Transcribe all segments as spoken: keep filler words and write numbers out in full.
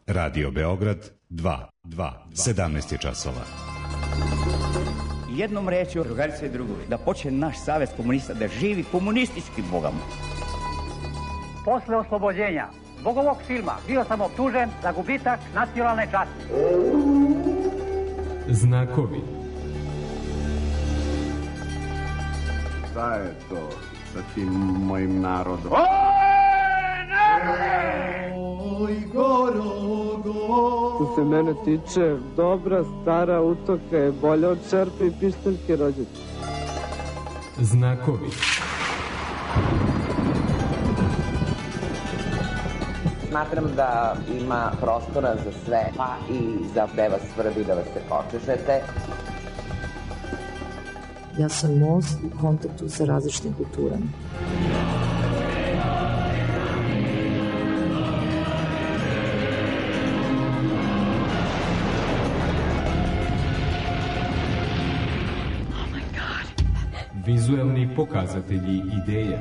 Radio Beograd dva, dva, sedamnaest je časova. Jednom rečju, drugarice i drugovi, da počne naš savez komunista da živi komunistički bogama. Posle oslobođenja zbog ovog filma bio sam optužen za gubitak nacionalne časti. Znakovi. Šta je to sa tim mojim narodom? Oj, gorogo. Što se mene tiče, dobra stara utoka je bolja od čerpe i pištaljke rođaca. Znakovi. Smatram da ima prostora za sve, pa i za da vas svrbi da vas se počešete. Ja sam most u kontaktu sa različitim kulturama. Vizuelni pokazatelji ideje.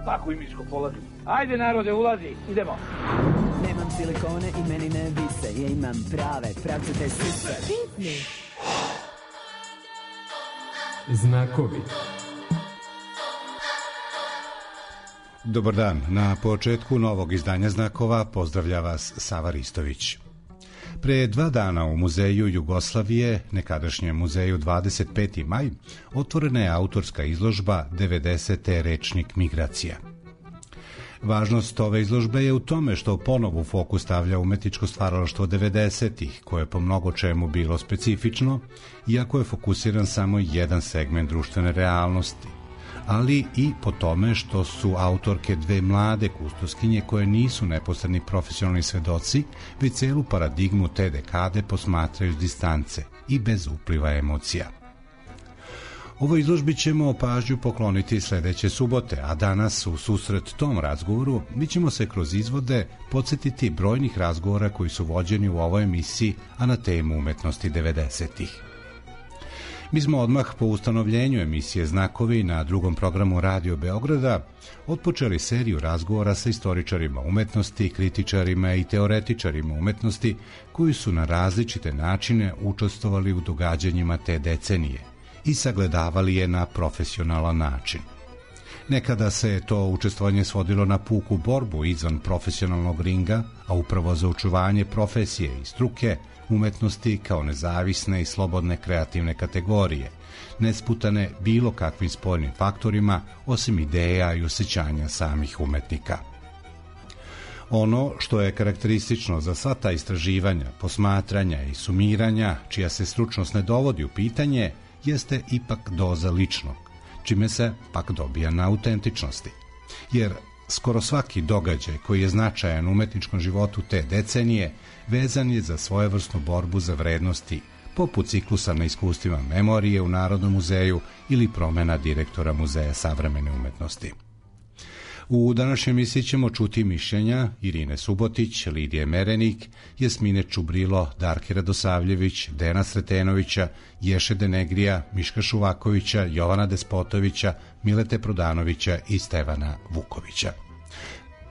Paku i miško polazi. Ajde narode, ulazi, idemo. Nemam silikone i meni ne vise, ja imam prave, pravcate sise. Pitni. Znakovi. Dobar dan. Na početku novog izdanja Znakova pozdravlja vas Sava Ristović. Pre dva dana u Muzeju Jugoslavije, nekadašnjem muzeju dvadeset peti maj, otvorena je autorska izložba devedesete Rečnik migracija. Važnost ove izložbe je u tome što ponovo u fokus stavlja umetničko stvaralaštvo devedesetih, koje je po mnogo čemu bilo specifično, iako je fokusiran samo jedan segment društvene realnosti, ali i po tome što su autorke dve mlade kustoskinje koje nisu neposredni profesionalni svedoci, već celu paradigmu te dekade posmatraju s distance i bez upliva emocija. Ovoj izložbi ćemo pažnju pokloniti sledeće subote, a danas u susret tom razgovoru mi ćemo se kroz izvode podsjetiti brojnih razgovora koji su vođeni u ovoj emisiji, a na temu umetnosti devedesetih. Mi smo odmah po ustanovljenju emisije Znakovi na drugom programu Radio Beograda otpočeli seriju razgovora sa istoričarima umetnosti, kritičarima i teoretičarima umetnosti koji su na različite načine učestvovali u događanjima te decenije i sagledavali je na profesionalan način. Nekada se to učestvovanje svodilo na puku borbu izvan profesionalnog ringa, a upravo za očuvanje profesije i struke umetnosti kao nezavisne i slobodne kreativne kategorije, nesputane bilo kakvim spoljnim faktorima osim ideja i osjećanja samih umetnika. Ono što je karakteristično za sva ta istraživanja, posmatranja i sumiranja, čija se stručnost ne dovodi u pitanje, jeste ipak doza ličnog, čime se pak dobija na autentičnosti. Jer skoro svaki događaj koji je značajan u umetničkom životu te decenije vezan je za svojevrsnu borbu za vrednosti, poput ciklusa na iskustvima memorije u Narodnom muzeju ili promena direktora Muzeja savremene umetnosti. U današnjoj emisiji ćemo čuti mišljenja Irine Subotić, Lidije Merenik, Jasmine Čubrilo, Darke Radosavljević, Dena Sretenovića, Ješe Denegrija, Miška Šuvakovića, Jovana Despotovića, Milete Prodanovića i Stevana Vukovića.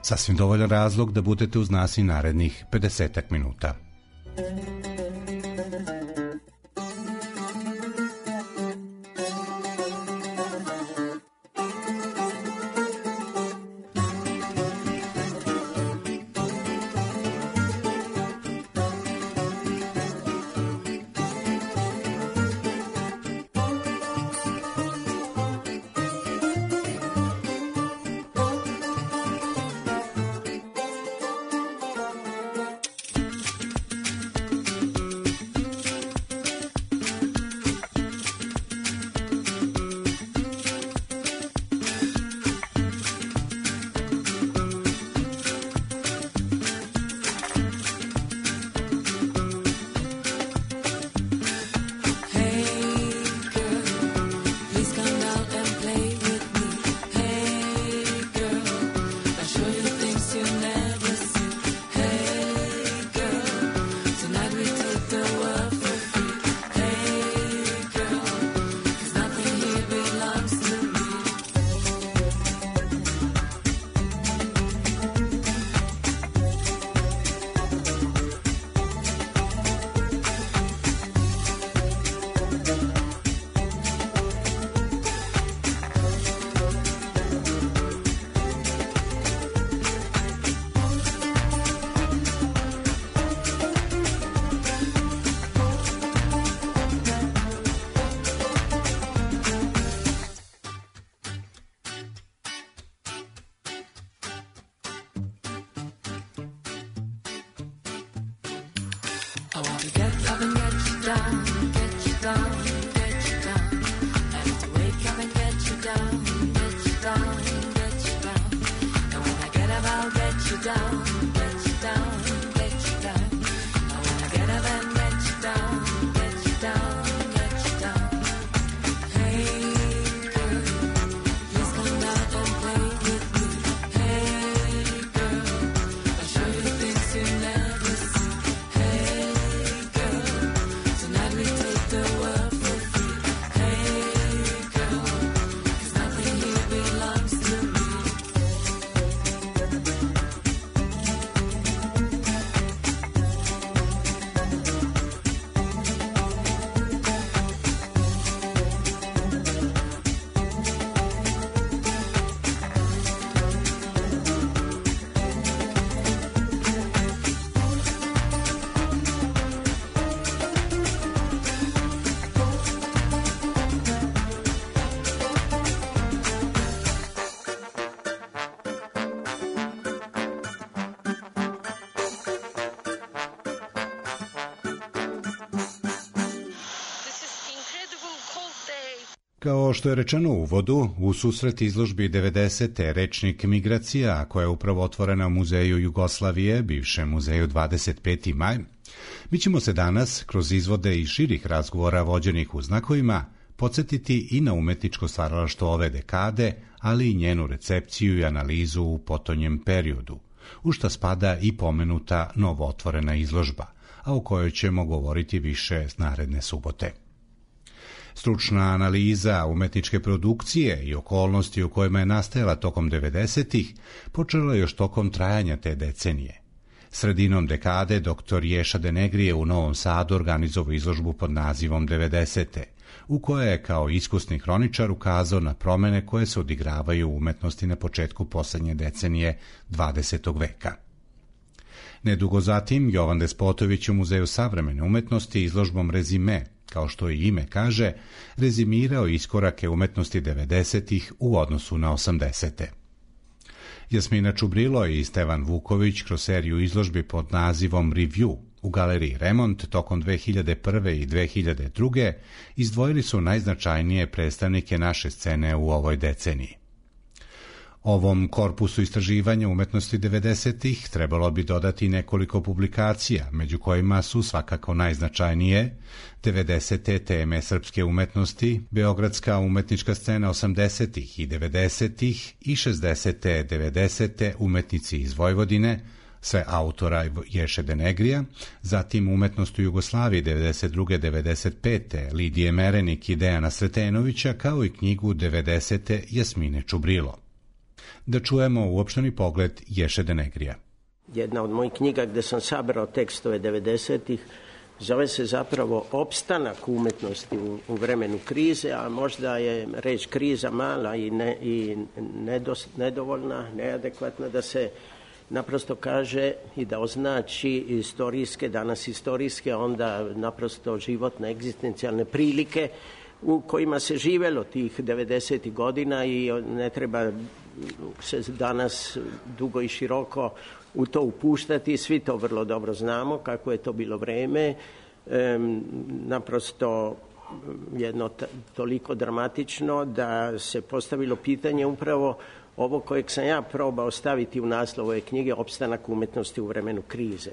Sasvim dovoljan razlog da budete uz nas i narednih pedesetak minuta. I want to get up and get you down, get you down, get you down. I have to wake up and get you down, get you down, get you down. And when I get up, I'll get you down, get you down, get you down. And when I get up and get you down, get you down, get you down. Hey girl, please come out and play with me. Hey girl, I'll show you things you never see. Hey girl, tonight we take the world for free. Hey girl, 'cause nothing here belongs to me. Kao što je rečeno u uvodu, u susret izložbi devedesete Rečnik migracija, koja je upravo otvorena u Muzeju Jugoslavije, bivšem muzeju dvadeset peti maj, mi ćemo se danas, kroz izvode i širih razgovora vođenih u znakovima, podsjetiti i na umetničko stvaralaštvo ove dekade, ali i njenu recepciju i analizu u potonjem periodu, u šta spada i pomenuta novootvorena izložba, a o kojoj ćemo govoriti više naredne subote. Stručna analiza umetničke produkcije i okolnosti u kojima je nastajala tokom devedesetih počela još tokom trajanja te decenije. Sredinom dekade doktor Ješa Denegrije u Novom Sadu organizovao izložbu pod nazivom devedesete, u kojoj je kao iskusni hroničar ukazao na promene koje se odigravaju u umetnosti na početku poslednje decenije dvadesetog veka. Nedugo zatim, Jovan Despotović u Muzeju savremene umetnosti izložbom Rezime, kao što i ime kaže, rezimirao iskorake umetnosti devedesetih u odnosu na osamdesete. Jasmina Čubrilo i Stevan Vuković kroz seriju izložbi pod nazivom Review u galeriji Remont tokom dve hiljade prve i dve hiljade druge izdvojili su najznačajnije predstavnike naše scene u ovoj deceniji. Ovom korpusu istraživanja umetnosti devedesetih trebalo bi dodati nekoliko publikacija, među kojima su svakako najznačajnije devedesete teme srpske umetnosti, beogradska umetnička scena osamdesetih i devedesetih i šezdesete devedesete umetnici iz Vojvodine, sve autora Ješe Denegrija, zatim umetnost u Jugoslaviji devedeset druge devedeset pete Lidije Merenik i Dejana Sretenovića, kao i knjigu devedesete Jasmine Čubrilo. Da čujemo uopšteni pogled Ješe Denegrija. Jedna od mojih knjiga gde sam sabrao tekstove devedesetih zove se zapravo Opstanak umetnosti u, u vremenu krize, a možda je reč kriza mala i, ne, i nedos, nedovoljna, neadekvatna da se naprosto kaže i da označi istorijske, danas istorijske, onda naprosto životne, egzistencijalne prilike u kojima se živelo tih devedesetih godina i ne treba se danas dugo i široko u to upuštati. Svi to vrlo dobro znamo kako je to bilo vreme. E, naprosto jedno t- toliko dramatično da se postavilo pitanje upravo ovo kojeg sam ja probao staviti u naslov ove knjige, Opstanak umetnosti u vremenu krize.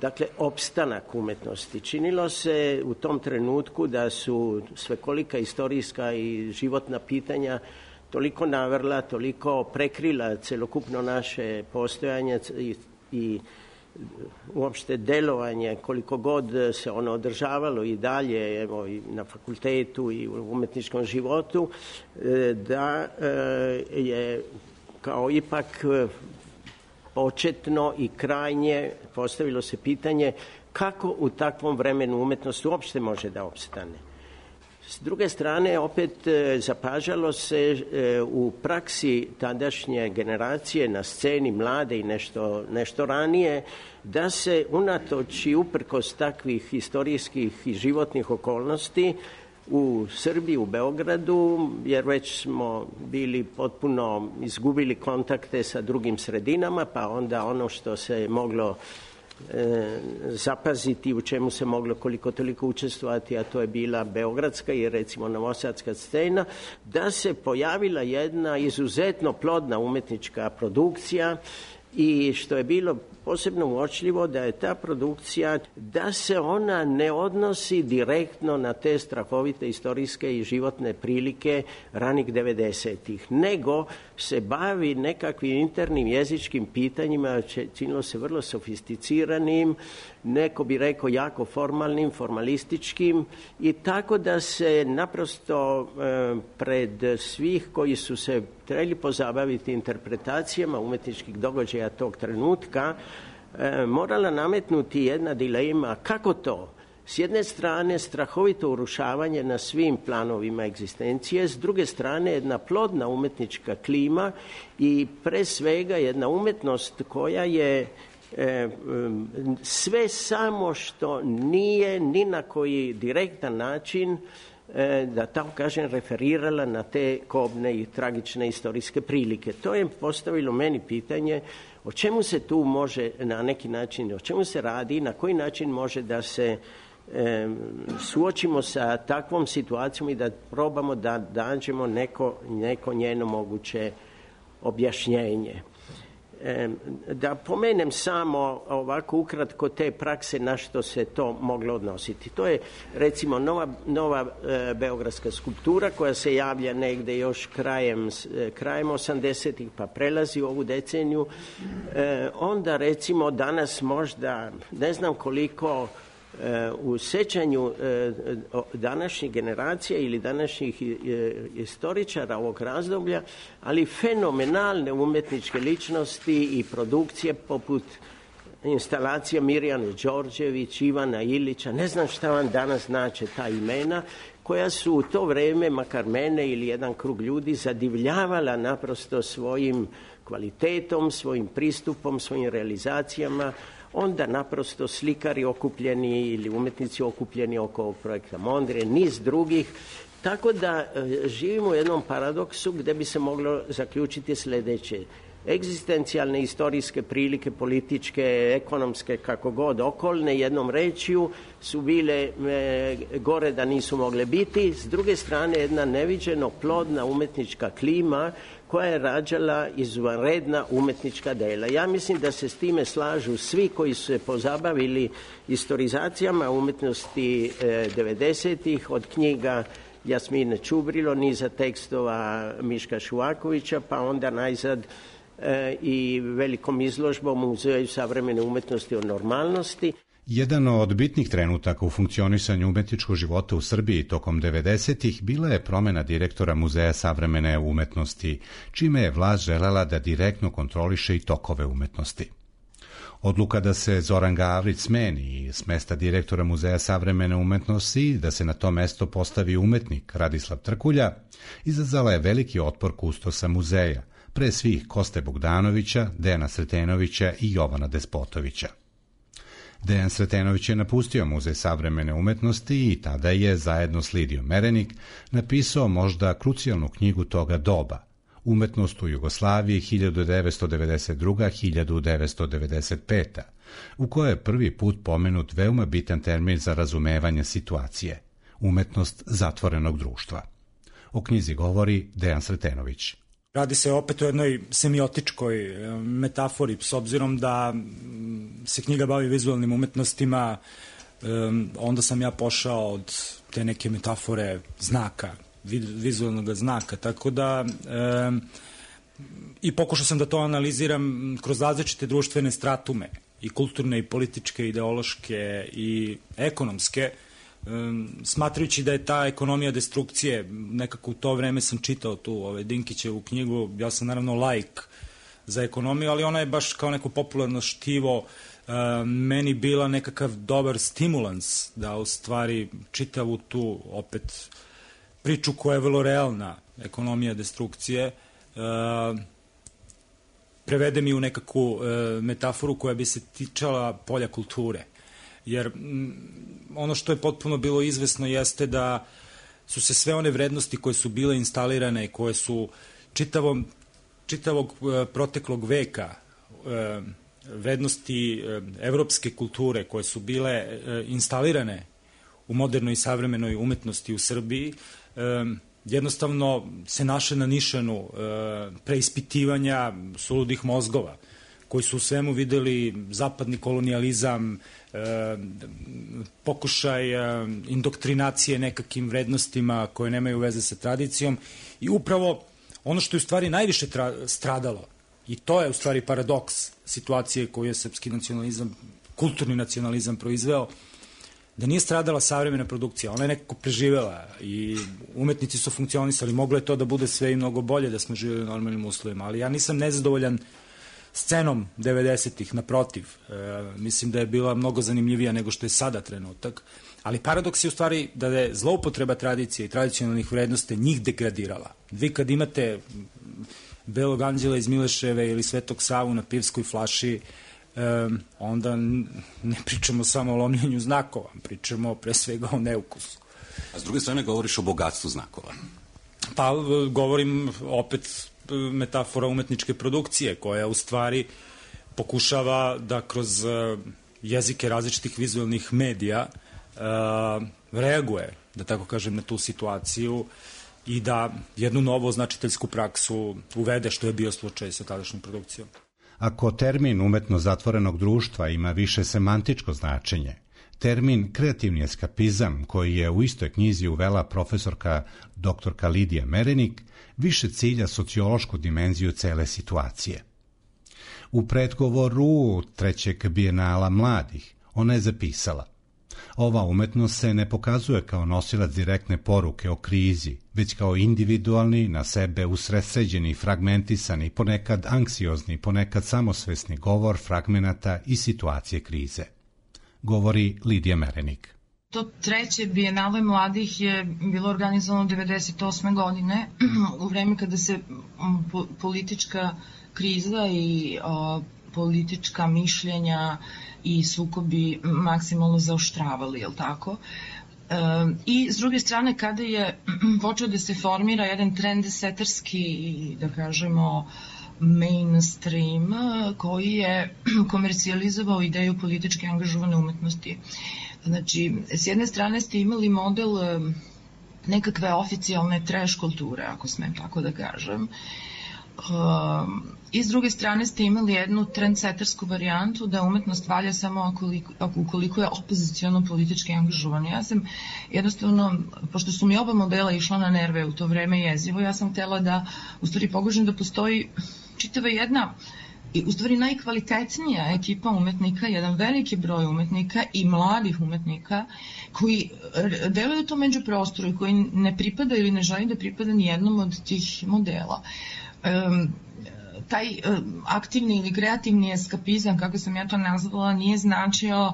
Dakle, opstanak umetnosti. Činilo se u tom trenutku da su svekolika istorijska i životna pitanja toliko navrla, toliko prekrila celokupno naše postojanje i, i uopšte delovanje, koliko god se ono održavalo i dalje, evo, i na fakultetu i u umetničkom životu, da je kao ipak početno i krajnje postavilo se pitanje kako u takvom vremenu umetnost uopšte može da opstane. S druge strane, opet zapažalo se u praksi tadašnje generacije na sceni mlade i nešto, nešto ranije, da se unatoč i uprkos takvih istorijskih i životnih okolnosti u Srbiji, u Beogradu, jer već smo bili potpuno izgubili kontakte sa drugim sredinama, pa onda ono što se moglo e, zapaziti u čemu se moglo koliko toliko učestvovati, a to je bila beogradska i recimo novosadska scena, da se pojavila jedna izuzetno plodna umetnička produkcija i što je bilo posebno uočljivo da je ta produkcija, da se ona ne odnosi direktno na te strahovite istorijske i životne prilike ranih devedesetih, nego se bavi nekakvim internim jezičkim pitanjima, činilo se vrlo sofisticiranim, neko bi rekao jako formalnim, formalističkim i tako da se naprosto e, pred svih koji su se trebali pozabaviti interpretacijama umetničkih događaja tog trenutka, e, morala nametnuti jedna dilema kako to. S jedne strane strahovito urušavanje na svim planovima egzistencije, s druge strane jedna plodna umetnička klima i pre svega jedna umetnost koja je e, sve samo što nije ni na koji direktan način, e, da tako kažem, referirala na te kobne i tragične istorijske prilike. To je postavilo meni pitanje o čemu se tu može na neki način, o čemu se radi i na koji način može da se E, suočimo sa takvom situacijom i da probamo da nađemo neko, neko njeno moguće objašnjenje. E, da pomenem samo ovako ukratko te prakse na što se to moglo odnositi. To je recimo nova, nova e, beogradska skulptura koja se javlja negde još krajem, e, krajem osamdesetih pa prelazi u ovu deceniju. E, onda recimo danas možda ne znam koliko u sećanju današnjih generacija ili današnjih istoričara ovog razdoblja, ali fenomenalne umetničke ličnosti i produkcije poput instalacija Mirjane Đorđević, Ivana Ilića, ne znam šta vam danas znače ta imena, koja su u to vreme, makar mene ili jedan krug ljudi, zadivljavala naprosto svojim kvalitetom, svojim pristupom, svojim realizacijama. Onda naprosto slikari okupljeni ili umetnici okupljeni oko ovog projekta Mondrian, niz drugih. Tako da živimo u jednom paradoksu gde bi se moglo zaključiti sledeće. Egzistencijalne istorijske prilike, političke, ekonomske, kako god, okolne, jednom rečju, su bile e, gore da nisu mogle biti. S druge strane, jedna neviđeno plodna umetnička klima koja je rađala izvanredna umetnička dela. Ja mislim da se s time slažu svi koji su se pozabavili istorizacijama umetnosti e, devedesetih, od knjiga Jasmine Čubrilo, niza tekstova Miška Šuvakovića, pa onda najzad e, i velikom izložbom u Muzeju savremene umetnosti o normalnosti. Jedan od bitnih trenutaka u funkcionisanju umetničkog života u Srbiji tokom devedesetih bila je promena direktora Muzeja savremene umetnosti, čime je vlast želela da direktno kontroliše i tokove umetnosti. Odluka da se Zoran Gavrić smeni s mesta direktora Muzeja savremene umetnosti i da se na to mesto postavi umetnik Radislav Trkulja izazvala je veliki otpor kustosa muzeja, pre svih Koste Bogdanovića, Dejana Sretenovića i Jovana Despotovića. Dejan Sretenović je napustio Muzej savremene umetnosti i tada je, zajedno s Lidijom Merenik, napisao možda krucijalnu knjigu toga doba, Umetnost u Jugoslaviji hiljadu devetsto devedeset druga do hiljadu devetsto devedeset peta, u kojoj je prvi put pomenut veoma bitan termin za razumevanje situacije, umetnost zatvorenog društva. O knjizi govori Dejan Sretenović. Radi se opet o jednoj semiotičkoj metafori, s obzirom da se knjiga bavi vizualnim umetnostima, onda sam ja pošao od te neke metafore znaka, vizualnog znaka, tako da e, i pokušao sam da to analiziram kroz različite društvene stratume, i kulturne, i političke, ideološke, i ekonomske, e, smatrajući da je ta ekonomija destrukcije, nekako u to vreme sam čitao tu ove, Dinkićevu knjigu, ja sam naravno laik za ekonomiju, ali ona je baš kao neko popularno štivo e, meni bila nekakav dobar stimulans da u stvari čitavu tu opet priču koja je vrlo realna, ekonomija destrukcije, e, prevede mi u nekakvu e, metaforu koja bi se tičala polja kulture. Jer m, ono što je potpuno bilo izvesno jeste da su se sve one vrednosti koje su bile instalirane i koje su čitavom, čitavog e, proteklog veka e, vrednosti evropske kulture koje su bile instalirane u modernoj i savremenoj umetnosti u Srbiji, jednostavno se naše na nišanu preispitivanja suludih mozgova, koji su u svemu videli zapadni kolonijalizam, pokušaj indoktrinacije nekakvim vrednostima koje nemaju veze sa tradicijom i upravo ono što je u stvari najviše stradalo, i to je u stvari paradoks situacije koju je srpski nacionalizam, kulturni nacionalizam proizveo, da nije stradala savremena produkcija, ona je nekako preživela i umetnici su funkcionisali, moglo je to da bude sve i mnogo bolje da smo živjeli u normalnim uslovima, ali ja nisam nezadovoljan scenom devedesetih, naprotiv, e, mislim da je bila mnogo zanimljivija nego što je sada trenutak, ali paradoks je u stvari da je zloupotreba tradicije i tradicionalnih vrednosti njih degradirala. Vi kad imate Belog anđela iz Mileševe ili Svetog Savu na pivskoj flaši, e, onda ne pričamo samo o lomljenju znakova, pričamo pre svega o neukusu. A s druge strane govoriš o bogatstvu znakova. Pa govorim opet metafora umetničke produkcije koja u stvari pokušava da kroz jezike različitih vizualnih medija uh, reaguje, da tako kažem, na tu situaciju i da jednu novu označiteljsku praksu uvede, što je bio slučaj sa tadašnjom produkcijom. Ako termin umetno zatvorenog društva ima više semantičko značenje, termin kreativni eskapizam, koji je u istoj knjizi uvela profesorka doktorka Lidija Merenik, više cilja sociološku dimenziju cele situacije. U predgovoru trećeg bijenala mladih ona je zapisala: ova umetnost se ne pokazuje kao nosilac direktne poruke o krizi, već kao individualni, na sebe usredsređeni, fragmentisani, ponekad anksiozni, ponekad samosvesni govor fragmenata i situacije krize. Govori Lidija Merenik. To treće bijenale mladih je bilo organizovano devedeset osme godine, u vreme kada se po, politička kriza i o, politička mišljenja i sukobi maksimalno zaoštravali, je li tako? E, I s druge strane, kada je počeo da se formira jedan trendseterski, da kažemo, mainstream koji je komercijalizovao ideju političke angažovane umetnosti. Znači, s jedne strane ste imali model nekakve oficijalne trash kulture, ako smem tako da kažem, i s druge strane ste imali jednu trendsetersku varijantu da umetnost valja samo ukoliko je opoziciono politički angažovana. Ja sam jednostavno, pošto su mi oba modela išla na nerve u to vreme jezivo, ja sam htela da u stvari pogužem da postoji čitava jedna i u stvari najkvalitetnija ekipa umetnika, jedan veliki broj umetnika i mladih umetnika koji deluju to međuprostoru i koji ne pripada ili ne želi da pripada ni jednom od tih modela. Um, taj um, aktivni ili kreativni eskapizam, kako sam ja to nazvala, nije značio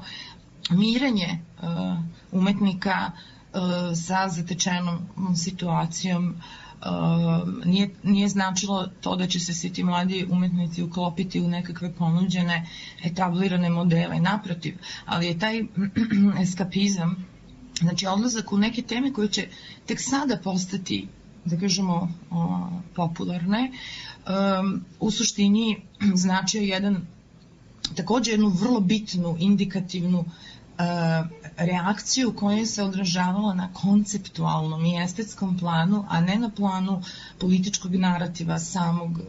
mirenje uh, umetnika uh, sa zatečenom situacijom. Uh, nije, nije značilo to da će se svi ti mladi umetnici uklopiti u nekakve ponuđene etablirane modele, naprotiv, ali je taj eskapizam, znači odlazak u neke teme koje će tek sada postati, da kažemo, o, popularne, um, u suštini značio jedan, takođe jednu vrlo bitnu, indikativnu reakciju koja se odražavala na konceptualnom i estetskom planu, a ne na planu političkog narativa samog,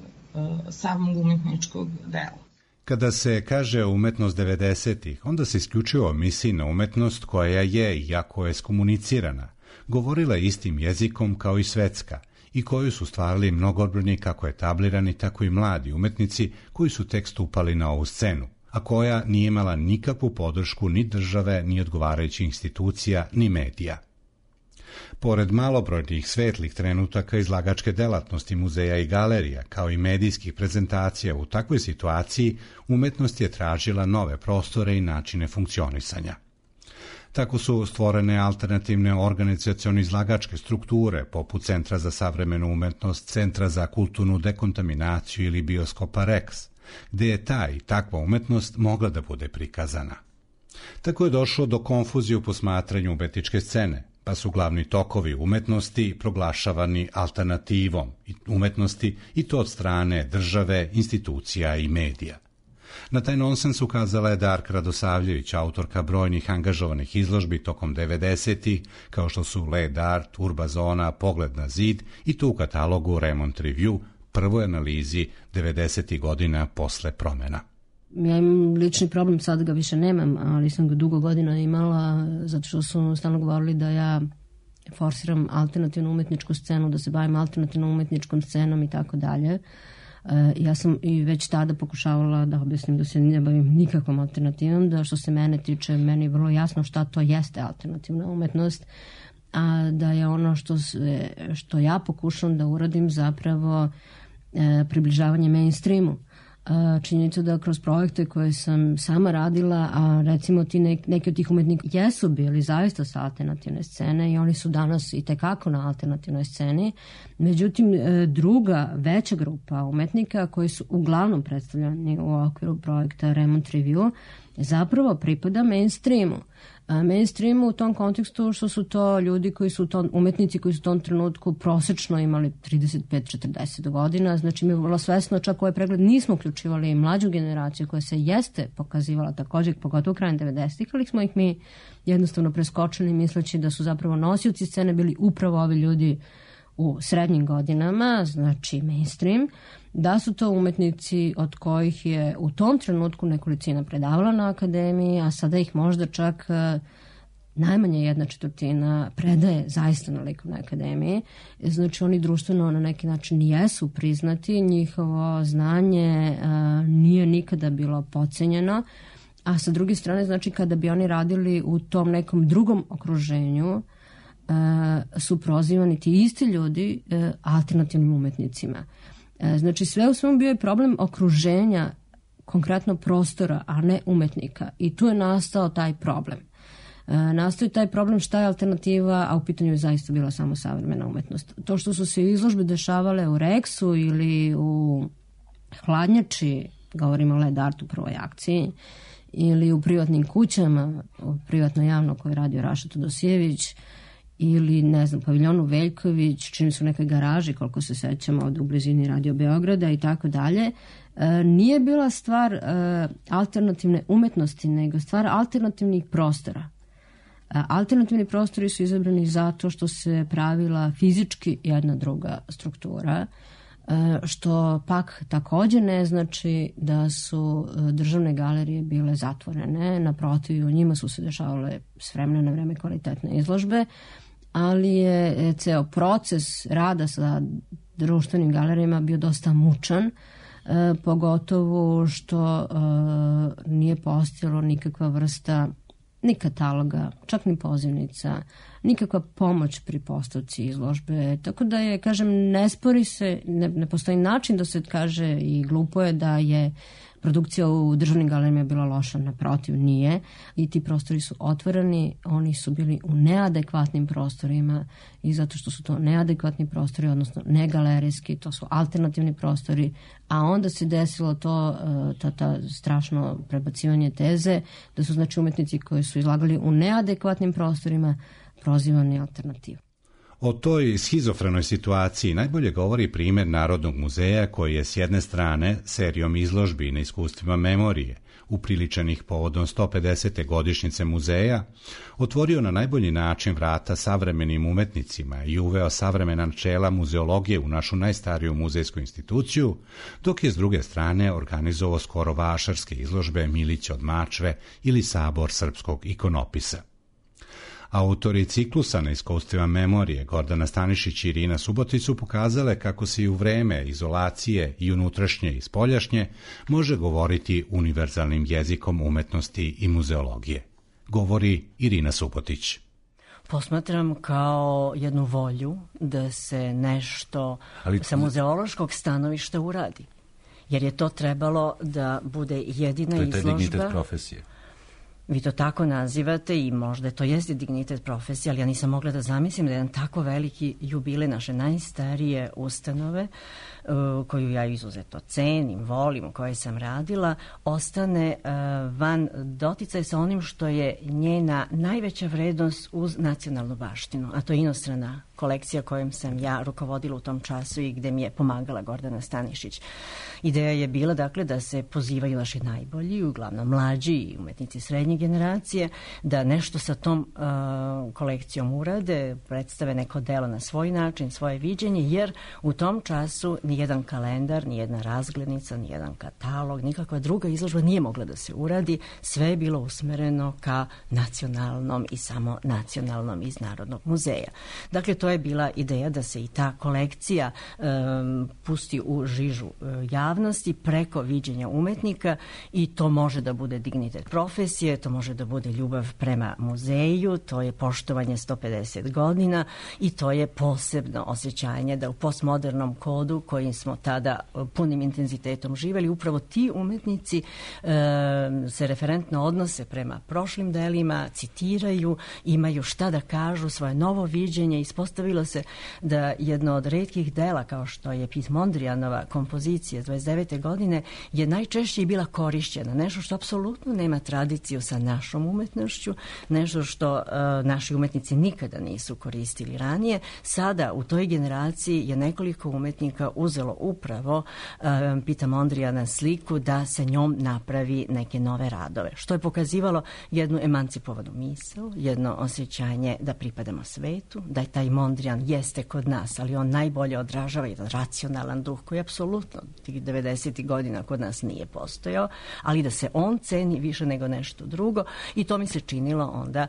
samog umetničkog dela. Kada se kaže umetnost devedesetih, onda se isključivo misli na umetnost koja je, iako je skomunicirana, govorila istim jezikom kao i svetska i koju su stvarali mnogobrojni kako etablirani, tako i mladi umetnici koji su tek stupali na ovu scenu, a koja nije imala nikakvu podršku ni države, ni odgovarajućih institucija, ni medija. Pored malobrojnih svetlih trenutaka izlagačke delatnosti muzeja i galerija, kao i medijskih prezentacija, u takvoj situaciji umetnost je tražila nove prostore i načine funkcionisanja. Tako su stvorene alternativne organizacione izlagačke strukture, poput Centra za savremenu umetnost, Centra za kulturnu dekontaminaciju ili Bioskopa Rex, gde je ta i takva umetnost mogla da bude prikazana. Tako je došlo do konfuzije u posmatranju umetničke scene, pa su glavni tokovi umetnosti proglašavani alternativom umetnosti i to od strane države, institucija i medija. Na taj nonsens ukazala je Darka Radosavljević, autorka brojnih angažovanih izložbi tokom devedesetih, kao što su Led Art, Urba Zona, Pogled na zid i to u katalogu Remont Review, prvoj analizi devedesetih godina posle promena. Ja imam lični problem, sad ga više nemam, ali sam ga dugo godina imala, zato što su stalno govorili da ja forsiram alternativnu umetničku scenu, da se bavim alternativnom umetničkom scenom i tako dalje. Ja sam i već tada pokušavala da objasnim da se ne bavim nikakvom alternativom, da što se mene tiče, meni je vrlo jasno šta to jeste alternativna umetnost, a da je ono što, se, što ja pokušam da uradim zapravo e, približavanje mainstreamu. Činjenica da kroz projekte koje sam sama radila, a recimo ti nek, neki od tih umetnika jesu bili zaista sa alternativne scene i oni su danas i tekako na alternativnoj sceni. Međutim, druga, veća grupa umetnika koji su uglavnom predstavljeni u okviru projekta Remont Review zapravo pripada mainstreamu. Mainstreamu u tom kontekstu što su to ljudi koji su to, umetnici koji su u tom trenutku prosečno imali trideset pet do četrdeset godina, znači mi je vrlo svesno, čak ovaj pregled nismo uključivali i mlađu generaciju koja se jeste pokazivala također, pogotovo krajem devedesetih, ali smo ih mi jednostavno preskočili misleći da su zapravo nosioci scene bili upravo ovi ljudi u srednjim godinama, znači mainstream, da su to umetnici od kojih je u tom trenutku nekolicina predavala na akademiji, a sada ih možda čak najmanje jedna četvrtina predaje zaista na likovnoj akademiji. Znači oni društveno na neki način jesu priznati, njihovo znanje a, nije nikada bilo podcenjeno, a sa druge strane, znači kada bi oni radili u tom nekom drugom okruženju, su prozivani ti isti ljudi alternativnim umetnicima. Znači sve u svemu bio je problem okruženja, konkretno prostora, a ne umetnika. I tu je nastao taj problem. Nastao je taj problem šta je alternativa, a u pitanju je zaista bila samo savremena umetnost. To što su se izložbe dešavale u Reksu ili u Hladnjači, govorimo o Led Artu u prvoj akciji, ili u privatnim kućama, privatno javno koje je radio Raša Todosijević, ili, ne znam, paviljonu Veljković, čini su neke garaži, koliko se sećamo, ovdje u blizini Radio Beograda i tako dalje, nije bila stvar e, alternativne umetnosti, nego stvar alternativnih prostora. E, alternativni prostori su izabrani zato što se pravila fizički jedna druga struktura, e, što pak također ne znači da su državne galerije bile zatvorene, naprotiv, u njima su se dešavale s vremena na vreme kvalitetne izložbe, ali je ceo proces rada sa društvenim galerijama bio dosta mučan, e, pogotovo što e, nije postojalo nikakva vrsta ni kataloga, čak ni pozivnica, nikakva pomoć pri postavci izložbe. Tako da je, kažem, ne spori se, ne, ne postoji način da se kaže i glupo je da je produkcija u državnim galerijama bila loša, naprotiv nije. I ti prostori su otvoreni, oni su bili u neadekvatnim prostorima i zato što su to neadekvatni prostori, odnosno negalerijski, to su alternativni prostori, a onda se desilo to, ta, ta strašno prebacivanje teze, da su znači umetnici koji su izlagali u neadekvatnim prostorima prozivani alternativu. O toj schizofrenoj situaciji najbolje govori primjer Narodnog muzeja koji je s jedne strane serijom izložbi na iskustvima memorije, upriličenih povodom sto pedesete godišnjice muzeja, otvorio na najbolji način vrata savremenim umetnicima i uveo savremena načela muzeologije u našu najstariju muzejsku instituciju, dok je s druge strane organizovao skoro vašarske izložbe Milića od Mačve ili Sabor srpskog ikonopisa. Autori ciklusa na iskustvima memorije Gordana Stanišić i Irina Subotić su pokazale kako se i u vreme izolacije i unutrašnje i spoljašnje može govoriti univerzalnim jezikom umetnosti i muzeologije. Govori Irina Subotić. Posmatram kao jednu volju da se nešto Ali... sa muzeološkog stanovišta uradi. Jer je to trebalo da bude jedina izložba. To je taj dignitet profesije. Vi to tako nazivate i možda to jeste dignitet profesije, ali ja nisam mogla da zamislim da jedan tako veliki jubilej naše najstarije ustanove, uh, koju ja izuzetno cenim, volim, u kojoj sam radila, ostane uh, van doticaja sa onim što je njena najveća vrednost uz nacionalnu baštinu, a to je inostrana kolekcija kojom sam ja rukovodila u tom času i gde mi je pomagala Gordana Stanišić. Ideja je bila dakle da se pozivaju naši najbolji, uglavnom mlađi i umetnici srednje generacije, da nešto sa tom uh, kolekcijom urade, predstave neko delo na svoj način, svoje viđenje, jer u tom času nijedan kalendar, nijedna razglednica, nijedan katalog, nikakva druga izložba nije mogla da se uradi, sve je bilo usmereno ka nacionalnom i samo nacionalnom iz Narodnog muzeja. Dakle, to je bila ideja da se i ta kolekcija um, pusti u žižu uh, javnosti preko viđenja umetnika i to može da bude dignitet profesije, to može da bude ljubav prema muzeju, to je poštovanje sto pedeset godina i to je posebno osjećanje da u postmodernom kodu kojim smo tada punim intenzitetom živeli, upravo ti umetnici e, se referentno odnose prema prošlim delima, citiraju, imaju šta da kažu, svoje novo viđenje. Ispostavilo se da jedno od retkih dela kao što je Piet Mondrianova kompozicija dvadeset devete godine je najčešće i bila korišćena, nešto što apsolutno nema tradiciju sa našom umetnošću, nešto što uh, naši umetnici nikada nisu koristili ranije. Sada u toj generaciji je nekoliko umetnika uzelo upravo uh, Pieta Mondriana sliku da se njom napravi neke nove radove, što je pokazivalo jednu emancipovanu misao, jedno osjećanje da pripadamo svetu, da je taj Mondrian jeste kod nas, ali on najbolje odražava jedan racionalan duh koji apsolutno tih devedesetih godina kod nas nije postojao, ali da se on ceni više nego nešto drugo i to mi se činilo onda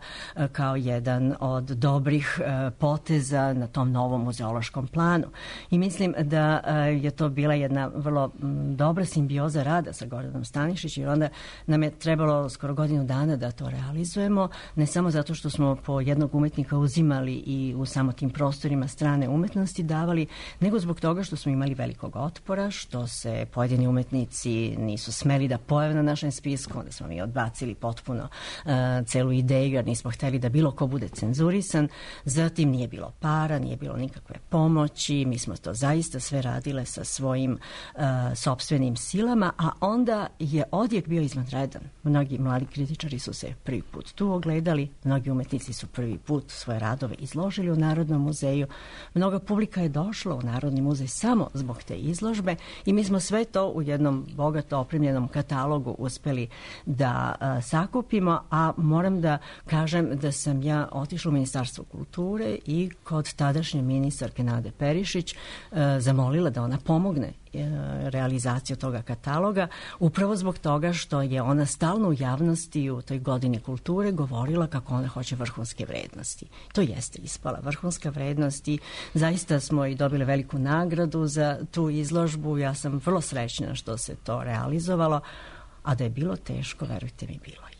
kao jedan od dobrih poteza na tom novom muzeološkom planu. I mislim da je to bila jedna vrlo dobra simbioza rada sa Gordanom Stanišić, jer onda nam je trebalo skoro godinu dana da to realizujemo, ne samo zato što smo po jednog umetnika uzimali i u samo tim prostorima strane umetnosti davali, nego zbog toga što smo imali velikog otpora, što se pojedini umetnici nisu smeli da pojave na našem spisku, onda smo mi odbacili potpuno uh, celu ideju, jer nismo hteli da bilo ko bude cenzurisan. Zatim nije bilo para, nije bilo nikakve pomoći, mi smo to zaista sve radile sa svojim uh, sopstvenim silama, a onda je odjek bio izvanredan. Mnogi mladi kritičari su se prvi put tu ogledali, mnogi umetnici su prvi put svoje radove izložili u Narodnom muzeju, mnoga publika je došla u Narodni muzej samo zbog te izložbe i mi smo sve to u jednom bogato opremljenom katalogu uspeli da a, sakupimo, a moram da kažem da sam ja otišla u Ministarstvo kulture i kod tadašnje ministarke Nade Perišić a, zamolila da ona pomogne realizaciju toga kataloga, upravo zbog toga što je ona stalno u javnosti u toj godini kulture govorila kako ona hoće vrhunske vrednosti. To jeste ispala vrhunska vrednost i zaista smo i dobili veliku nagradu za tu izložbu. Ja sam vrlo srećna što se to realizovalo, a da je bilo teško, verujte mi, bilo je.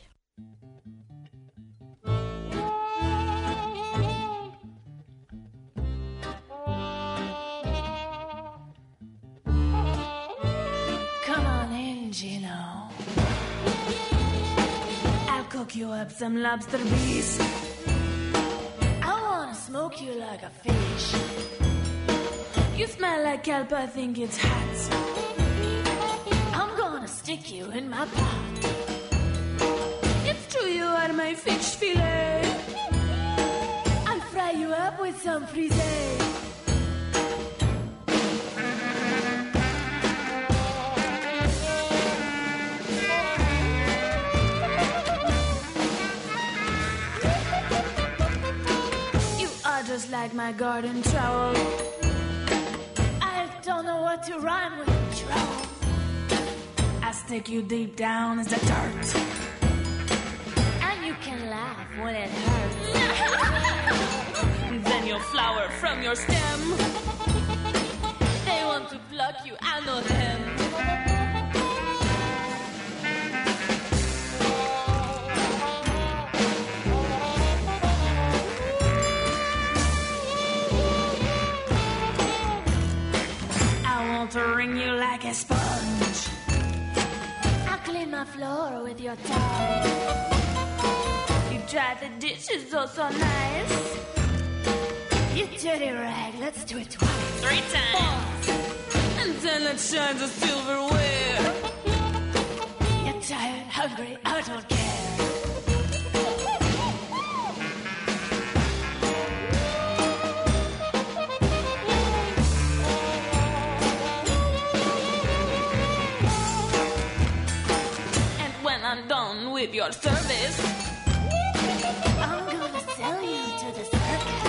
You know, I'll cook you up some lobster beef. I wanna smoke you like a fish. You smell like kelp, I think it's hot. I'm gonna stick you in my pot. It's true you are my fish fillet. I'll fry you up with some frisee. Just like my garden trowel, I don't know what to rhyme with trowel. I stick you deep down as the dirt, and you can laugh when it hurts. Then you'll flower from your stem. They want to pluck you, I know them. To wring you like a sponge. I'll clean my floor with your tongue. You dry the dishes oh so nice. You dirty rag, let's do it twice. Three times. Four. And then let's shine the silverware. You're tired, hungry, I don't care. your service. I'm gonna sell you to the circus.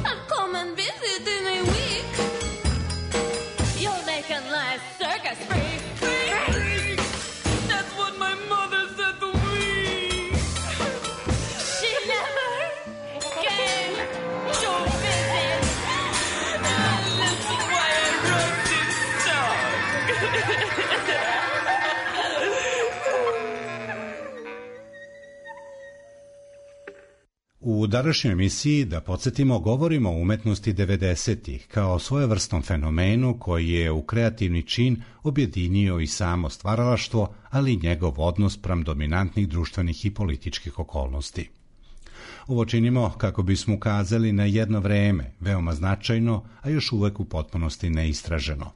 I'll come and visit in a week. You'll make a nice circus freak. Freak! That's what my mother said to me. She never came to visit. And that's why I wrote this song. U današnjoj emisiji, da podsjetimo, govorimo o umetnosti devedesetih kao svojevrsnom fenomenu koji je u kreativni čin objedinio i samo stvaralaštvo, ali i njegov odnos pram dominantnih društvenih i političkih okolnosti. Ovo činimo kako bismo ukazali na jedno vreme, veoma značajno, a još uvek u potpunosti neistraženo.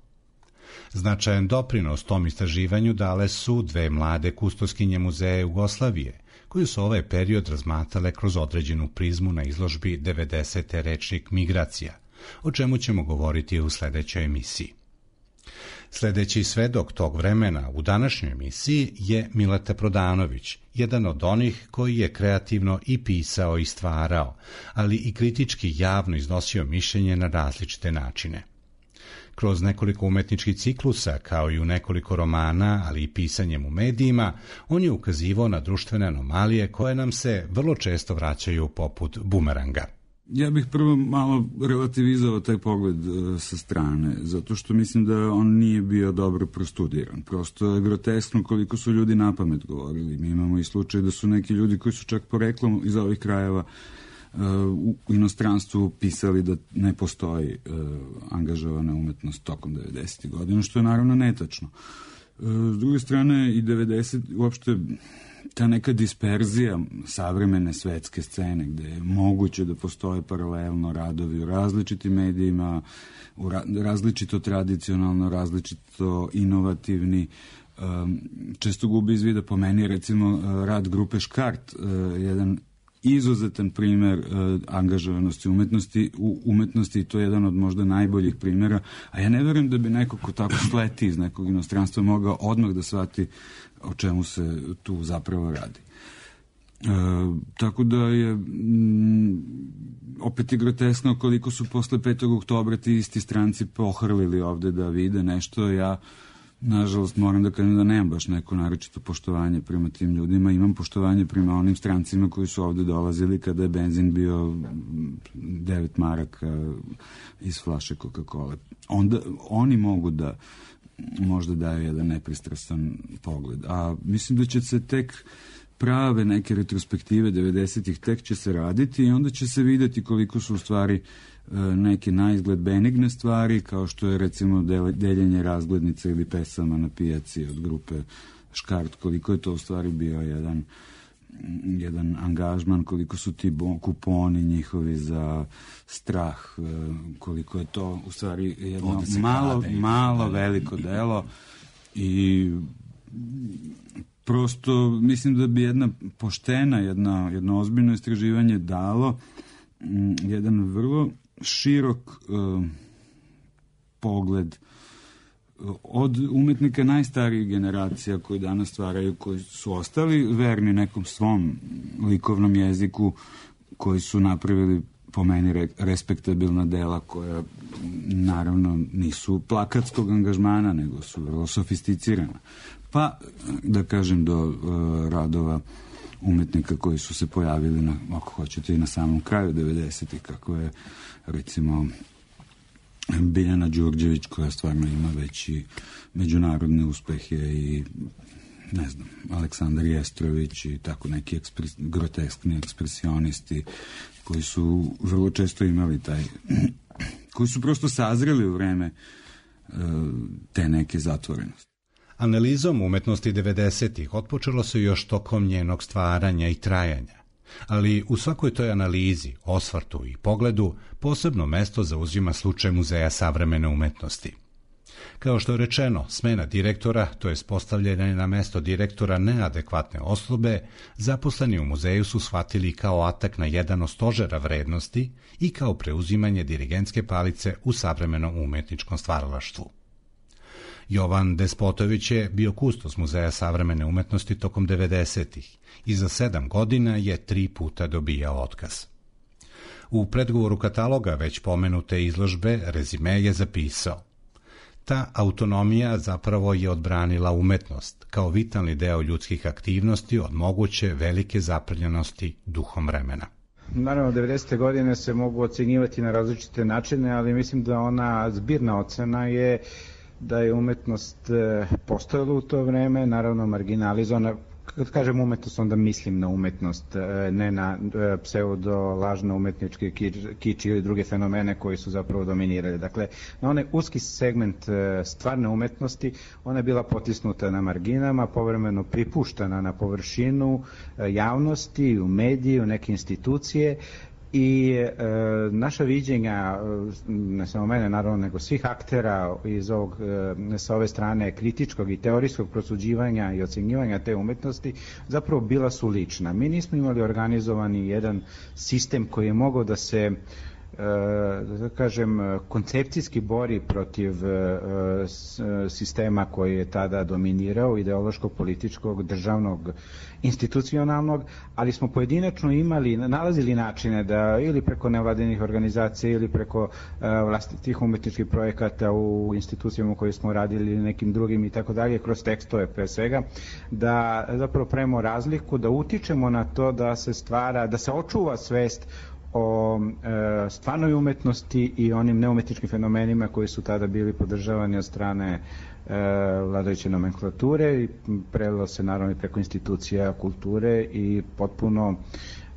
Značajan doprinos tom istraživanju dale su dve mlade kustoskinje Muzeja Jugoslavije, koji su ovaj period razmatrale kroz određenu prizmu na izložbi devedesete Rečnik migracija, o čemu ćemo govoriti u sledećoj emisiji. Sledeći svedok tog vremena u današnjoj emisiji je Mileta Prodanović, jedan od onih koji je kreativno i pisao i stvarao, ali i kritički javno iznosio mišljenje na različite načine. Kroz nekoliko umetničkih ciklusa, kao i u nekoliko romana, ali i pisanjem u medijima, on je ukazivao na društvene anomalije koje nam se vrlo često vraćaju poput bumeranga. Ja bih prvo malo relativizovao taj pogled uh, sa strane, zato što mislim da on nije bio dobro prostudiran. Prosto je groteskno koliko su ljudi napamet govorili. Mi imamo i slučaj da su neki ljudi koji su čak poreklom iz ovih krajeva u inostranstvu pisali da ne postoji uh, angažovana umetnost tokom devedesetih godina, što je naravno netačno. Uh, s druge strane, i devedeset, uopšte ta neka disperzija savremene svetske scene, gde je moguće da postoje paralelno radovi u različitim medijima, u ra različito tradicionalno, različito inovativni, um, često gubi iz vida. Po meni, recimo, rad grupe Škart, uh, jedan izuzetan primer uh, angažovanosti umetnosti u umetnosti, i to je jedan od možda najboljih primjera, a ja ne verujem da bi neko ko tako sleti iz nekog inostranstva mogao odmah da shvati o čemu se tu zapravo radi. Uh, tako da je mm, opet je groteskno koliko su posle petog oktobra ti isti stranci pohrlili ovde da vide nešto. Ja nažalost moram da kažem da nemam baš neko naročito poštovanje prema tim ljudima. Imam poštovanje prema onim strancima koji su ovde dolazili kada je benzin bio devet maraka iz flaše Coca-Cola. Onda oni mogu da možda daju jedan nepristrasan pogled. A mislim da će se tek prave neke retrospektive devedesetih tek će se raditi i onda će se videti koliko su u stvari neke na izgled benigne stvari, kao što je recimo deljenje razglednica ili pesama na pijaci od grupe Škart, koliko je to u stvari bio jedan jedan angažman, koliko su ti kuponi njihovi za strah, koliko je to u stvari jedno malo, malo veliko delo i prosto mislim da bi jedna poštena, jedna, jedno ozbiljno istraživanje dalo jedan vrlo širok uh, pogled od umetnika najstarijih generacija koji danas stvaraju, koji su ostali verni nekom svom likovnom jeziku, koji su napravili po meni re, respektabilna dela koja naravno nisu plakatskog angažmana, nego su vrlo sofisticirana. Pa, da kažem, do uh, radova umetnika koji su se pojavili na, ako hoćete, i na samom kraju devedesetih, kako je recimo Biljana Đurđević, koja stvarno ima veći međunarodne uspehe, i ne znam, Aleksandar Jestrović i tako neki ekspres, groteskni ekspresionisti koji su vrlo često imali taj koji su prosto sazreli u vreme uh, te neke zatvorenosti. Analizom umetnosti devedesetih otpočelo se još tokom njenog stvaranja i trajanja, ali u svakoj toj analizi, osvrtu i pogledu posebno mesto zauzima slučaj Muzeja savremene umetnosti. Kao što je rečeno, smena direktora, to je postavljanje na mesto direktora neadekvatne osobe, zaposleni u muzeju su shvatili kao atak na jedan od stožera vrednosti i kao preuzimanje dirigentske palice u savremenom umetničkom stvaralaštvu. Jovan Despotović je bio kustos Muzeja savremene umetnosti tokom devedesetih i za sedam godina je tri puta dobijao otkaz. U predgovoru kataloga već pomenute izložbe rezime je zapisao: ta autonomija zapravo je odbranila umetnost kao vitalni deo ljudskih aktivnosti od moguće velike zaprljenosti duhom vremena. Naravno, devedesete godine se mogu ocenjivati na različite načine, ali mislim da ona zbirna ocena je da je umetnost postojala u to vreme, naravno marginalizovana. Kad kažem umetnost, onda mislim na umetnost, ne na pseudo-lažno umetničke kič ili druge fenomene koji su zapravo dominirali. Dakle, na onaj uski segment stvarne umetnosti, ona je bila potisnuta na marginama, povremeno pripuštana na površinu javnosti, u mediji, u neke institucije, i e, naša viđenja, ne samo mene naravno, nego svih aktera iz ovog, e, sa ove strane kritičkog i teorijskog prosuđivanja i ocenjivanja te umetnosti, zapravo bila su lična. Mi nismo imali organizovani jedan sistem koji je mogao da se, da kažem, koncepcijski bori protiv sistema koji je tada dominirao, ideološkog, političkog, državnog, institucionalnog, ali smo pojedinačno imali, nalazili načine da ili preko nevladinih organizacija ili preko vlastitih umetničkih projekata u institucijama u kojoj smo radili ili nekim drugim i tako dalje, kroz tekstove pre svega, da zapravo pravimo razliku, da utičemo na to da se stvara, da se očuva svest o e, stvarnoj umetnosti i onim neumetničkim fenomenima koji su tada bili podržavani od strane e, vladajuće nomenklature i prelilo se naravno preko institucija kulture i potpuno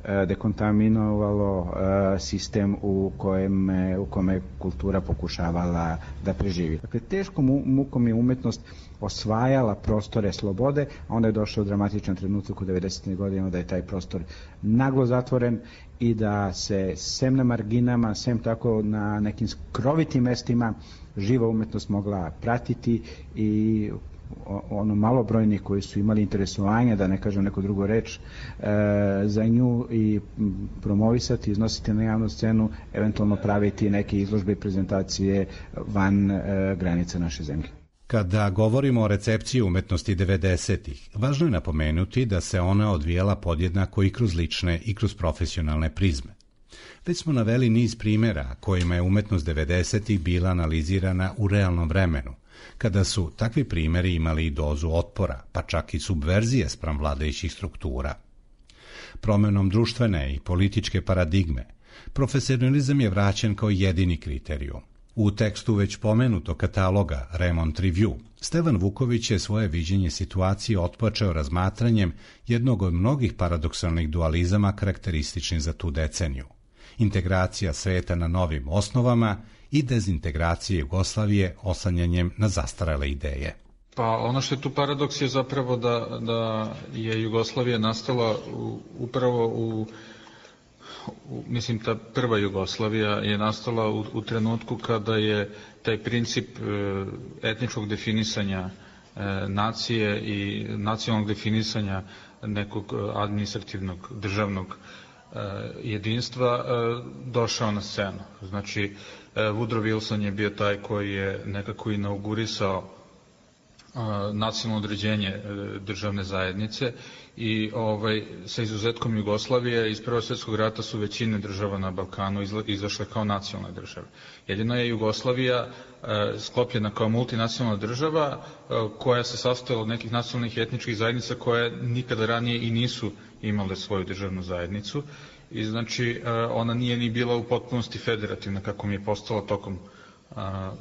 e, dekontaminovalo e, sistem u kojem u kome kultura pokušavala da preživi. Dakle, teškom mukom je umetnost osvajala prostore slobode, a onda je došao dramatičan trenutak u devedesetim godinama da je taj prostor naglo zatvoren i da se sem na marginama, sem tako na nekim skrovitim mestima živa umetnost mogla pratiti i ono malobrojni koji su imali interesovanja, da ne kažem neku drugu reč, za nju i promovisati, iznositi na javnu scenu, eventualno praviti neke izložbe i prezentacije van granica naše zemlje. Kada govorimo o recepciji umetnosti devedesetih, važno je napomenuti da se ona odvijala podjednako i kroz lične i kroz profesionalne prizme. Već smo naveli niz primjera kojima je umetnost devedesetih bila analizirana u realnom vremenu, kada su takvi primjeri imali i dozu otpora, pa čak i subverzije spram vladajućih struktura. Promenom društvene i političke paradigme, profesionalizam je vraćen kao jedini kriterijum. U tekstu već pomenutog kataloga Remont Review, Stevan Vuković je svoje viđenje situacije otpočeo razmatranjem jednog od mnogih paradoksalnih dualizama karakterističnih za tu deceniju. Integracija sveta na novim osnovama i dezintegracije Jugoslavije oslanjanjem na zastarele ideje. Pa ono što je tu paradoks je zapravo da, da je Jugoslavija nastala u, upravo u mislim ta prva Jugoslavija je nastala u, u trenutku kada je taj princip e, etničkog definisanja e, nacije i nacionalnog definisanja nekog administrativnog državnog e, jedinstva e, došao na scenu. Znači e, Woodrow Wilson je bio taj koji je nekako inaugurisao e, nacionalno određenje e, državne zajednice i ovaj, sa izuzetkom Jugoslavije iz Prvog svjetskog rata su većine država na Balkanu izla, izašle kao nacionalne države. Jedino je Jugoslavija e, sklopljena kao multinacionalna država e, koja se sastojala od nekih nacionalnih i etničkih zajednica koje nikada ranije i nisu imale svoju državnu zajednicu i znači e, ona nije ni bila u potpunosti federativna kako mi je postala tokom a,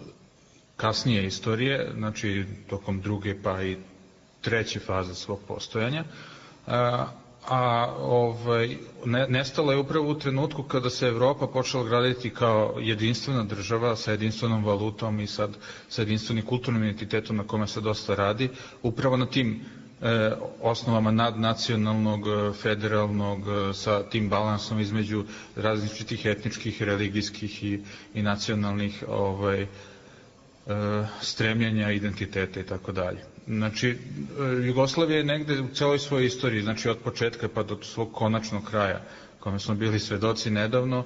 kasnije istorije, znači tokom druge pa i treće faze svog postojanja. A, a ovaj, ne, nestala je upravo u trenutku kada se Evropa počela graditi kao jedinstvena država sa jedinstvenom valutom i sad sa jedinstvenim kulturnim identitetom na kome se dosta radi, upravo na tim e, osnovama nadnacionalnog, federalnog, sa tim balansom između različitih etničkih, religijskih i, i nacionalnih ovaj, e, stremljenja, identiteta i tako dalje. Znači, Jugoslavija je negde u celoj svojoj istoriji, znači od početka pa do svog konačnog kraja, kome smo bili svedoci nedavno,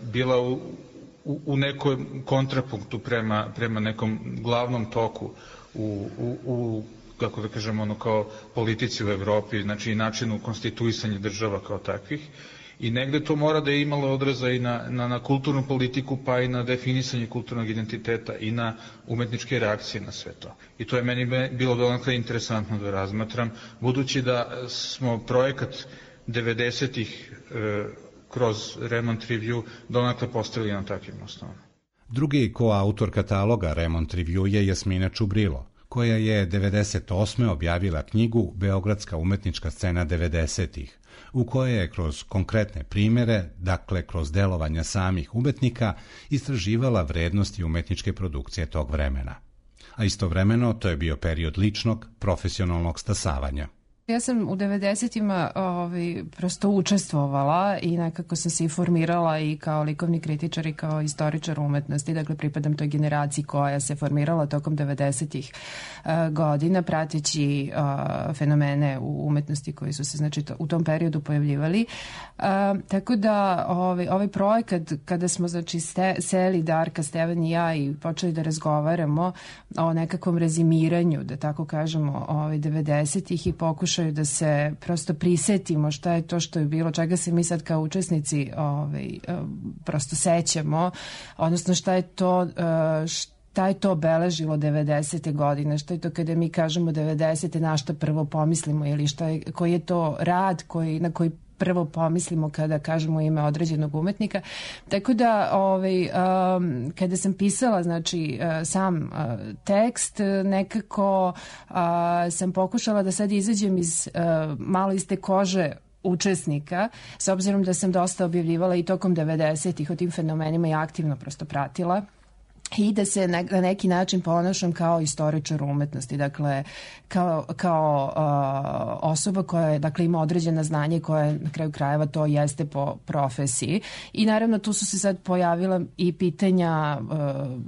bila u, u, u nekom kontrapunktu prema, prema nekom glavnom toku u, u, u kako da kažemo, ono kao politici u Evropi, znači i načinu konstituisanja država kao takvih. I negde to mora da je imalo odraza i na, na, na kulturnu politiku, pa i na definisanje kulturnog identiteta i na umetničke reakcije na sve to. I to je meni bilo donekle interesantno da razmatram, budući da smo projekat devedesetih e, kroz Remont Review donekle postavili na takvim osnovama. Drugi koautor kataloga Remont Review je Jasmina Čubrilo, koja je devedeset osme objavila knjigu Beogradska umetnička scena devedesetih, u kojoj je kroz konkretne primere, dakle kroz delovanja samih umetnika, istraživala vrednosti umetničke produkcije tog vremena. A istovremeno to je bio period ličnog, profesionalnog stasavanja. Ja sam u devedesetima ovaj, prosto učestvovala i nekako sam se i formirala i kao likovni kritičar i kao istoričar umetnosti, dakle pripadam toj generaciji koja se formirala tokom devedesetih uh, godina, prateći uh, fenomene u umetnosti koji su se znači, to, u tom periodu pojavljivali. Uh, tako da ovaj, ovaj projekat, kada smo znači, ste, seli Darka, Stevan i ja i počeli da razgovaramo o nekakvom rezimiranju, da tako kažemo, ovaj, devedesetih i pokušali da se prosto prisetimo šta je to što je bilo, čega se mi sad kao učesnici ovaj, prosto sećamo, odnosno šta je to šta je to obeležilo devedesete godine, šta je to kada mi kažemo devedesete, na šta prvo pomislimo ili šta je, koji je to rad koji, na koji prvo pomislimo kada kažemo ime određenog umetnika. Tako da ovaj, um, kada sam pisala znači, uh, sam uh, tekst, nekako uh, sam pokušala da sad izađem iz, uh, malo iz te kože učesnika, s obzirom da sam dosta objavljivala i tokom devedesetih o tim fenomenima i aktivno prosto pratila. I da se na neki način ponašam kao istoričar umetnosti, dakle kao, kao uh, osoba koja je, dakle, ima određena znanje koja na kraju krajeva to jeste po profesiji. I naravno tu su se sad pojavila i pitanja uh,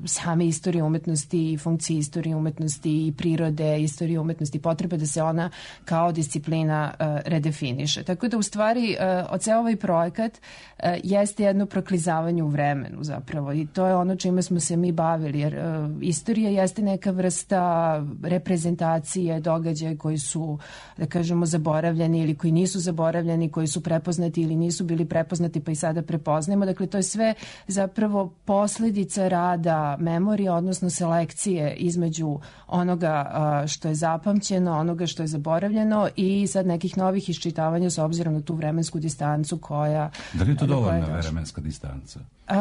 same istorije umetnosti i funkcije istorije umetnosti i prirode, istorije umetnosti, potrebe da se ona kao disciplina uh, redefiniše. Tako da u stvari uh, od ceo ovaj projekat uh, jeste jedno proklizavanje u vremenu zapravo i to je ono čime smo se mi bavili, jer uh, istorija jeste neka vrsta reprezentacije događaja koji su, da kažemo, zaboravljeni ili koji nisu zaboravljeni, koji su prepoznati ili nisu bili prepoznati pa i sada prepoznajemo. Dakle, to je sve zapravo posledica rada memorije, odnosno selekcije između onoga uh, što je zapamćeno, onoga što je zaboravljeno i sad nekih novih iščitavanja s obzirom na tu vremensku distancu koja... Da li je to dovoljna vremenska distanca? Uh,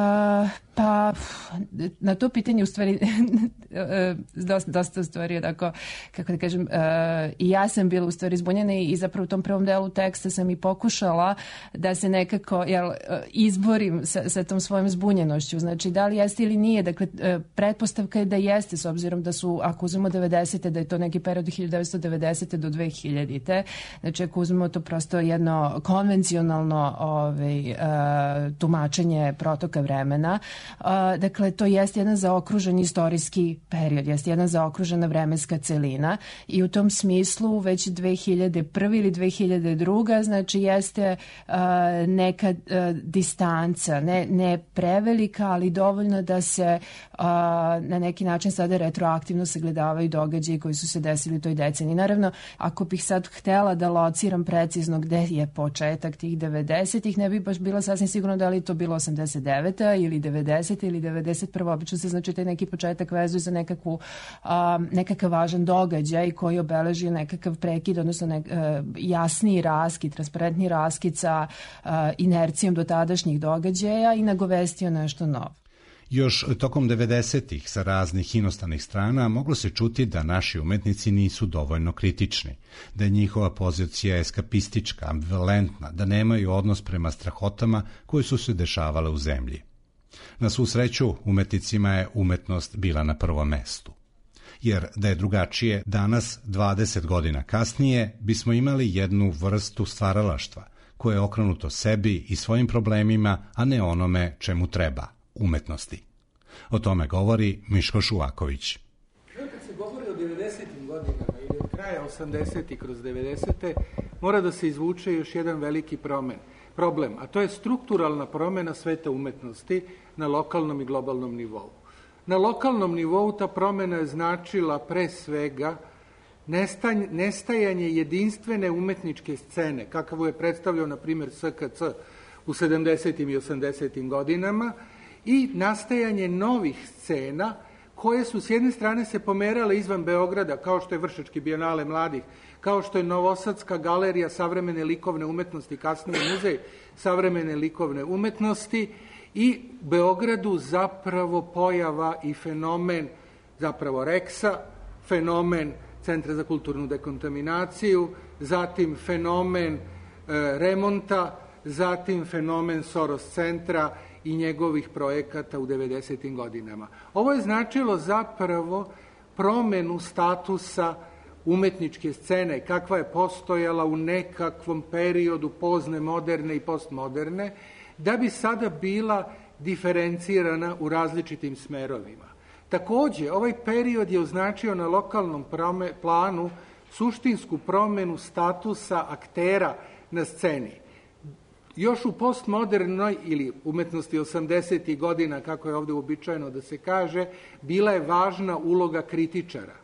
pa na to pitanje u stvari dosta, dosta u stvari onako, kako da kažem, uh, i ja sam bila u stvari zbunjena i zapravo u tom prvom delu teksta sam i pokušala da se nekako jel, izborim sa, sa tom svojom zbunjenošću, znači da li jeste ili nije, dakle pretpostavka je da jeste s obzirom da su, ako uzmemo devedesete, da je to neki period od hiljadu devetsto devedesete do dve hiljadite, znači ako uzmemo to prosto jedno konvencionalno ovaj, uh, tumačenje protoka vremena, uh, dakle to jeste jedan zaokružen istorijski period, jeste jedna zaokružena vremenska celina i u tom smislu već dve hiljade prve ili dve hiljade druge znači jeste uh, neka uh, distanca, ne, ne prevelika, ali dovoljno da se uh, na neki način sada retroaktivno sagledavaju događaji koji su se desili u toj deceniji. Naravno, ako bih sad htela da lociram precizno gde je početak tih devedesetih, ne bi baš bila sasvim sigurno da li to bilo osamdeset deveta ili devedesete ili devedeset prva. Obično se znači taj neki početak vezuje za nekakvu, um, nekakav važan događaj koji obeleži nekakav prekid, odnosno nek, uh, jasniji raskid, transparentni raskid sa uh, inercijom do tadašnjih događaja i nagovestio nešto novo. Još tokom devedesetih sa raznih inostranih strana moglo se čuti da naši umetnici nisu dovoljno kritični, da je njihova pozicija eskapistička, ambivalentna, da nemaju odnos prema strahotama koje su se dešavale u zemlji. Na svu sreću, umetnicima je umetnost bila na prvom mestu. Jer da je drugačije, danas, dvadeset godina kasnije, bismo imali jednu vrstu stvaralaštva koje je okrenuto sebi i svojim problemima, a ne onome čemu treba, umetnosti. O tome govori Miško Šuvaković. Kad se govori o devedesetim godinama ili od kraja osamdesetih kroz devedesete, mora da se izvuče još jedan veliki promen. problem, a to je strukturalna promjena sveta umetnosti na lokalnom i globalnom nivou. Na lokalnom nivou ta promjena je značila pre svega nestajanje jedinstvene umetničke scene, kakavu je predstavljao, na primjer, S K C u sedamdesetim i osamdesetim godinama, i nastajanje novih scena koje su s jedne strane se pomerale izvan Beograda, kao što je Vršački bijenale mladih, kao što je Novosadska galerija savremene likovne umetnosti, kasnije muzej savremene likovne umetnosti, i Beogradu zapravo pojava i fenomen zapravo Reksa, fenomen Centra za kulturnu dekontaminaciju, zatim fenomen e, remonta, zatim fenomen Soros centra i njegovih projekata u devedesetim godinama. Ovo je značilo zapravo promenu statusa umetničke scene, kakva je postojala u nekakvom periodu pozne moderne i postmoderne, da bi sada bila diferencirana u različitim smerovima. Takođe, ovaj period je označio na lokalnom planu suštinsku promenu statusa aktera na sceni. Još u postmodernoj ili umetnosti osamdesetih godina, kako je ovde uobičajeno da se kaže, bila je važna uloga kritičara.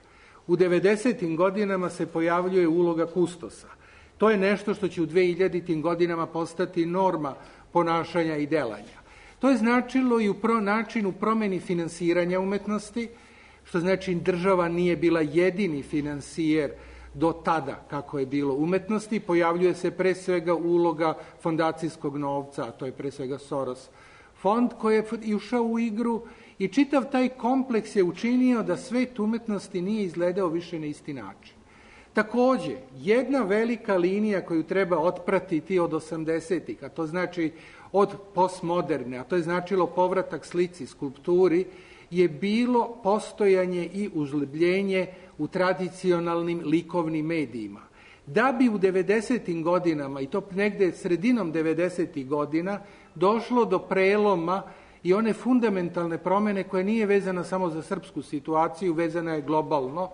U devedesetim godinama se pojavljuje uloga kustosa. To je nešto što će u dvehiljaditim godinama postati norma ponašanja i delanja. To je značilo i u pro načinu promeni finansiranja umetnosti, što znači država nije bila jedini finansijer do tada kako je bilo umetnosti. Pojavljuje se pre svega uloga fondacijskog novca, a to je pre svega Soros fond koji je ušao u igru, i čitav taj kompleks je učinio da svet umetnosti nije izgledao više na isti način. Takođe, jedna velika linija koju treba otpratiti od osamdesetih, a to znači od postmoderne, a to je značilo povratak slici, skulpturi, je bilo postojanje i užlebljenje u tradicionalnim likovnim medijima. Da bi u devedesetim godinama, i to negde sredinom devedesetih godina, došlo do preloma i one fundamentalne promene koja nije vezana samo za srpsku situaciju, vezana je globalno,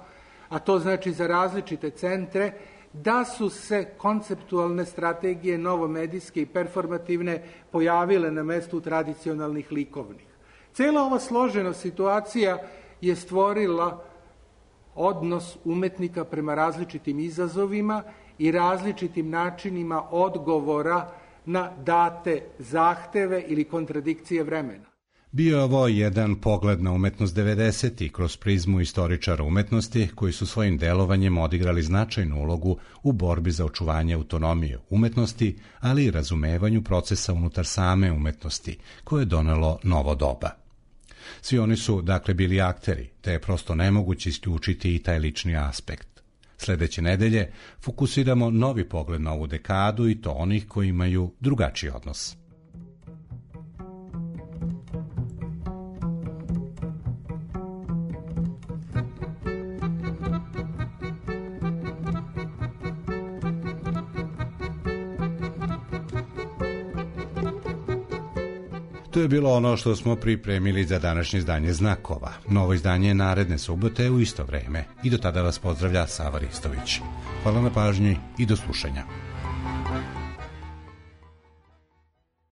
a to znači za različite centre, da su se konceptualne strategije novomedijske i performativne pojavile na mestu tradicionalnih likovnih. Cela ova složena situacija je stvorila odnos umetnika prema različitim izazovima i različitim načinima odgovora na date zahteve ili kontradikcije vremena. Bio je ovo jedan pogled na umetnost devedesetih kroz prizmu istoričara umetnosti koji su svojim delovanjem odigrali značajnu ulogu u borbi za očuvanje autonomije umetnosti, ali i razumevanju procesa unutar same umetnosti, koje je donelo novo doba. Svi oni su, dakle, bili akteri, te je prosto nemoguće isključiti i taj lični aspekt. Sledeće nedelje fokusiramo novi pogled na ovu dekadu i to onih koji imaju drugačiji odnos. To je bilo ono što smo pripremili za današnje izdanje Znakova. Novo izdanje je naredne subote u isto vreme. I do tada vas pozdravlja Sava Ristović. Hvala na pažnji i do slušanja.